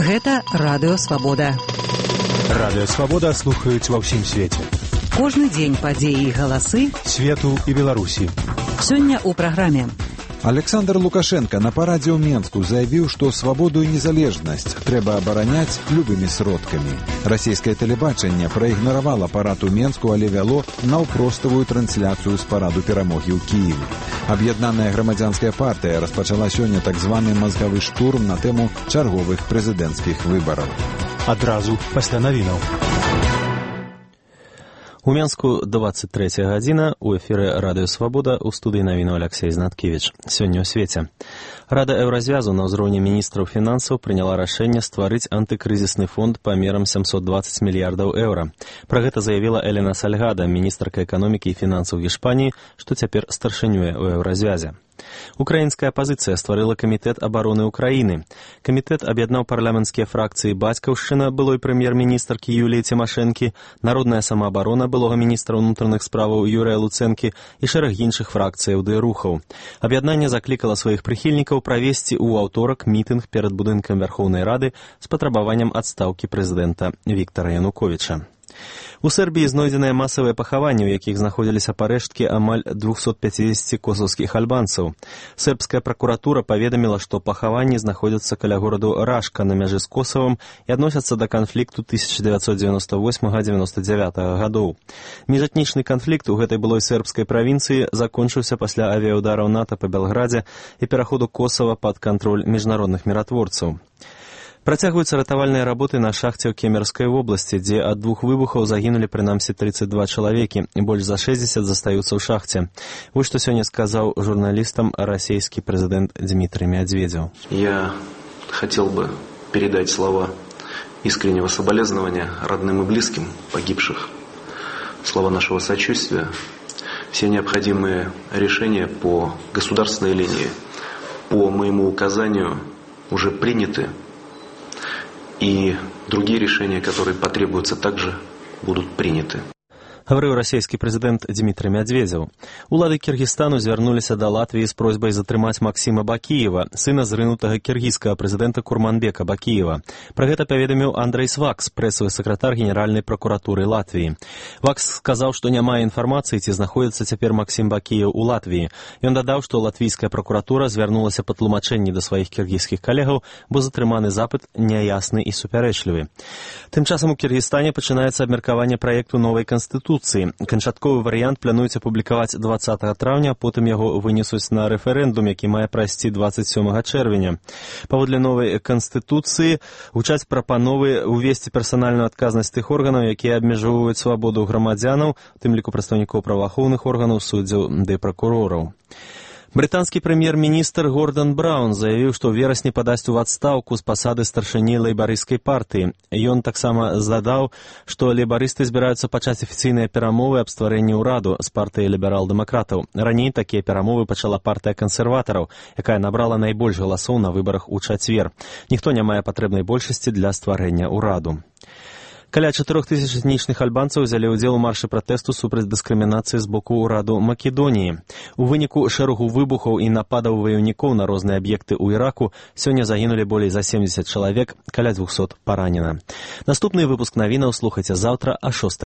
Гэта Радыё Свабода. Радыё Свабода слухаюць ва ўсім свеце. Кожны дзень падзеі і галасы свету і Беларусі. Сёння ў праграме. Александр Лукашенко на парадзе ў Менску заявіў, што свабоду і незалежнасць трэба абараняць любымі сродкамі. Расійскае тэлебачанне праігнаравала парад у Менску, але вяло наўпроставую трансляцыю з параду перамогі ў Кіеве. Аб'яднаная грамадзянская партыя распачала сёння так званы мазгавы штурм на тэму чарговых прэзідэнцкіх выбараў. Адразу пасля навінаў. У Менску 23 гадзіна, у эфіры Радыё Свабода, у студыі навіну Алексей Знаткевіч. Сёння ў свеце. Рада Еўразвязу на ўзроўні міністраў фінансаў прыняла рашэнне стварыць антыкрызісны фонд памерам 720 мільярдаў еўра. Пра гэта заявіла Элена Сальгада, міністрка эканомікі і фінансаў Гішпаніі, што цяпер старшынюе ў Еўразвязе. Украінская апазіцыя стварыла камітэт абароны Украіны. Камітэт аб'яднаў парламенцкія фракцыі «Бацькаўшчына» былой прэм'ер-міністркі Юліі Цімашэнкі, «Народная самаабарона» былога міністра ўнутраных справаў Юрыя Луцэнкі і шэраг іншых фракцыяў ды рухаў. Аб'яднанне заклікала сваіх прыхільнікаў правесці ў аўторак мітынг перад будынкам Вярхоўнай Рады з патрабаваннем адстаўкі прэзідэнта Віктара Януковіча. У Сербіі знойдзеныя масавыя пахаванні, у якіх знаходзіліся парэшткі амаль 250 косаўскіх альбанцаў. Сербская пракуратура паведаміла, што пахаванні знаходзяцца каля гораду Рашка на мяжы з Косавам і адносяцца да канфлікту 1998-99 гадоў. Міжэтнічны канфлікт у гэтай былой сербскай правінцыі закончыўся пасля авіяўдараў НАТО па Белградзе і пераходу Косава пад кантроль міжнародных міратворцаў. Працягваюцца ратавальныя работы на шахце ў Кемерскай вобласці, дзе ад двух выбухаў загінулі прынамсі 32 чалавекі, больш за 60 застаюцца ў шахце. Вось што сёння сказаў журналістам расійскі прэзідэнт Дмітрий Медведев. Я хотел бы передать слова искреннего соболезнования родным и близким погибших, слова нашего сочувствия. Все необходимые решения по государственной линии, по моему указанию, уже приняты. И другие решения, которые потребуются, также будут приняты. Гаварыў расійскі прэзідэнт Дмітрий Медведев. Улады Кіргізстану звярнуліся да Латвіі з просьбай затрымаць Максіма Бакіева, сына зрынутага кіргізскага прэзідэнта Курманбека Бакіева. Пра гэта паведаміў Андрейс Вакс, прэсавы сакратар Генеральнай пракуратуры Латвіі. Вакс сказаў, што няма інфармацыі, ці знаходзіцца цяпер Максім Бакіеў у Латвіі. Ён дадаў, што латвійская пракуратура звярнулася па тлумачэнні да сваіх кіргізскіх калегаў, бо затрыманы запыт няясны і супярэчлівы. Тым часам у Кіргізстане пачынаецца абмеркаванне праекту новай канстытуцыі. Канчатковы варыянт плануюць апублікаваць 20 траўня, потым яго вынесуць на рэферэндум, які мае прайсці 27 чэрвеня. Паводле новай канстытуцыі гучаць прапановы ўвесці персанальную адказнасць тых органаў, якія абмяжоўваюць свабоду грамадзянаў, у тым ліку прадстаўнікоў праваахоўных органаў, суддзяў ды пракурораў. Брытанскі прэм'ер-міністр Гордан Браўн заявіў, што ў верасні падасць у адстаўку з пасады старшыні лейбарысцкай партыі. Ён таксама задаў, што лейбарысты збіраюцца пачаць афіцыйныя перамовы аб стварэнні ўраду з партыяй ліберал-дэмакратаў. Раней такія перамовы пачала партыя кансерватараў, якая набрала найбольш галасоў на выбарах у чацвер. Ніхто не мае патрэбнай большасці для стварэння ўраду. Каля 4000 этнічных альбанцаў узялі ўдзел у маршы пратэсту супраць дыскрымінацыі з боку ўраду Македоніі. У выніку шэрагу выбухаў і нападаў ваяўнікоў на розныя аб'екты ў Іраку сёння загінулі болей за 70 чалавек, каля 200 паранена. Наступны выпуск навінаў слухайце заўтра а 6